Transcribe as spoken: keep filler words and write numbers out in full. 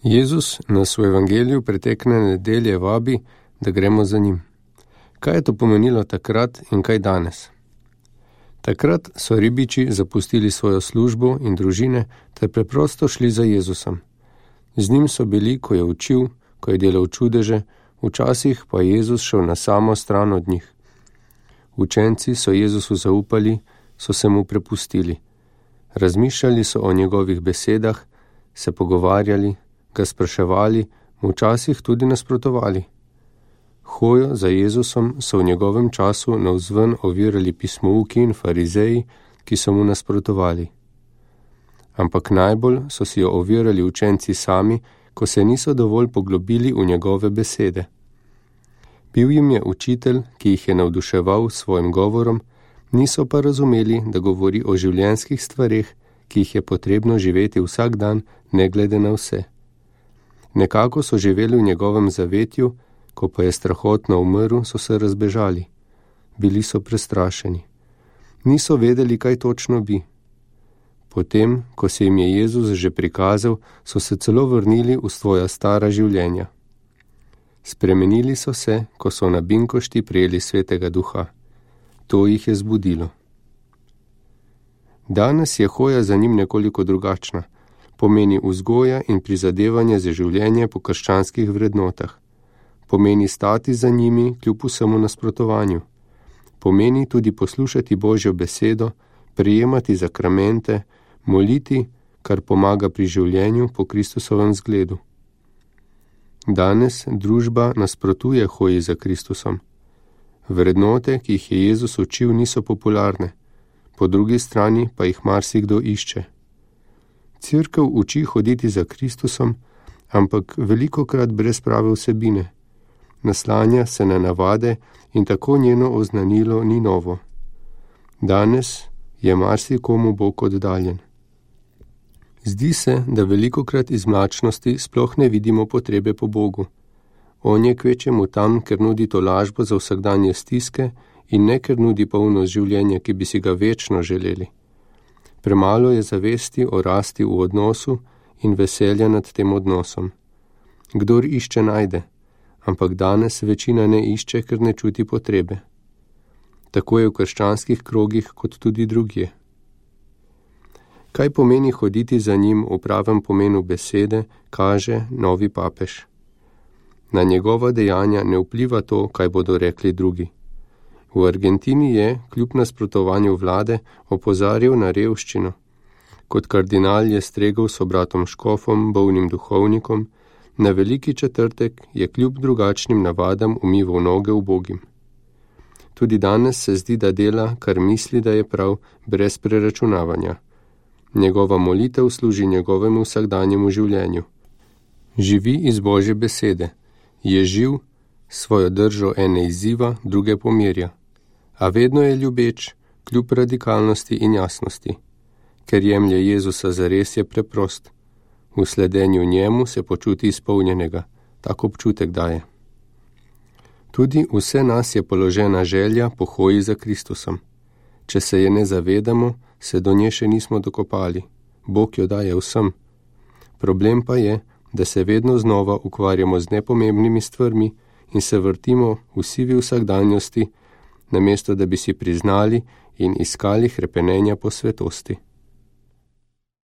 Jezus nas v evangeliju pretekne nedelje vabi, da gremo za njim. Kaj je to pomenilo takrat in kaj danes? Takrat so ribiči zapustili svojo službo in družine ter preprosto šli za Jezusom. Z njim so bili, ko je učil, ko je delal čudeže, včasih pa je Jezus šel na samo stran od njih. Učenci so Jezusu zaupali, so se mu prepustili. Razmišljali so o njegovih besedah, se pogovarjali, ga spraševali, mu včasih tudi nasprotovali. Hojo za Jezusom so v njegovem času navzven ovirali pismouki in farizeji, ki so mu nasprotovali. Ampak najbolj so si jo ovirali učenci sami, ko se niso dovolj poglobili v njegove besede. Bil jim je učitelj, ki jih je navduševal s svojim govorom, niso pa razumeli, da govori o življenjskih stvareh, ki jih je potrebno živeti vsak dan, ne glede na vse. Nekako so živeli v njegovem zavetju, ko pa je strahotno umrl, so se razbežali. Bili so prestrašeni. Niso vedeli, kaj točno bi. Potem, ko se jim je Jezus že prikazal, so se celo vrnili v svoja stara življenja. Spremenili so se, ko so na binkošti prijeli Svetega Duha. To jih je zbudilo. Danes je hoja za njim nekoliko drugačna. Pomeni vzgoja in prizadevanje za življenje po krščanskih vrednotah. Pomeni stati za njimi kljub vsemu nasprotovanju. Pomeni tudi poslušati Božjo besedo, prijemati zakramente, moliti, kar pomaga pri življenju po Kristusovem zgledu. Danes družba nasprotuje hoji za Kristusom. Vrednote, ki jih je Jezus učil, niso popularne, po drugi strani pa jih marsikdo išče. Cerkev uči hoditi za Kristusom, ampak velikokrat brez prave vsebine. Naslanja se na navade in tako njeno oznanilo ni novo. Danes je marsikomu Bog oddaljen. Zdi se, da velikokrat iz mlačnosti sploh ne vidimo potrebe po Bogu. On je kvečemu tam, ker nudi tolažbo za vsakdanje stiske in ne ker nudi polnost življenja, ki bi si ga večno želeli. Premalo je zavesti o rasti v odnosu in veselja nad tem odnosom. Kdor išče, najde, ampak danes večina ne išče, ker ne čuti potrebe. Tako je v krščanskih krogih kot tudi drugje. Kaj pomeni hoditi za njim v pravem pomenu besede, kaže novi papež. Na njegova dejanja ne vpliva to, kaj bodo rekli drugi. V Argentini je, kljub nasprotovanju vlade, opozarjal na revščino. Kot kardinal je stregel s bratom škofom, bolnim duhovnikom, na veliki četrtek je kljub drugačnim navadam umival noge ubogim. Tudi danes se zdi, da dela, kar misli, da je prav, brez preračunavanja. Njegova molitev služi njegovemu vsakdanjemu življenju. Živi iz Božje besede. Je živ, svojo držo ene izziva, druge pomirja. A vedno je ljubeč, kljub radikalnosti in jasnosti. Ker jemlje Jezusa zares, je preprost. V sledenju njemu se počuti izpolnjenega, tak občutek daje. Tudi vse nas je položena želja po hoji za Kristusom. Če se je ne zavedamo, se do nje še nismo dokopali. Bog jo daje vsem. Problem pa je, da se vedno znova ukvarjamo z nepomembnimi stvarmi in se vrtimo v sivi vsakdanjosti, namesto da bi si priznali in iskali hrepenenja po svetosti.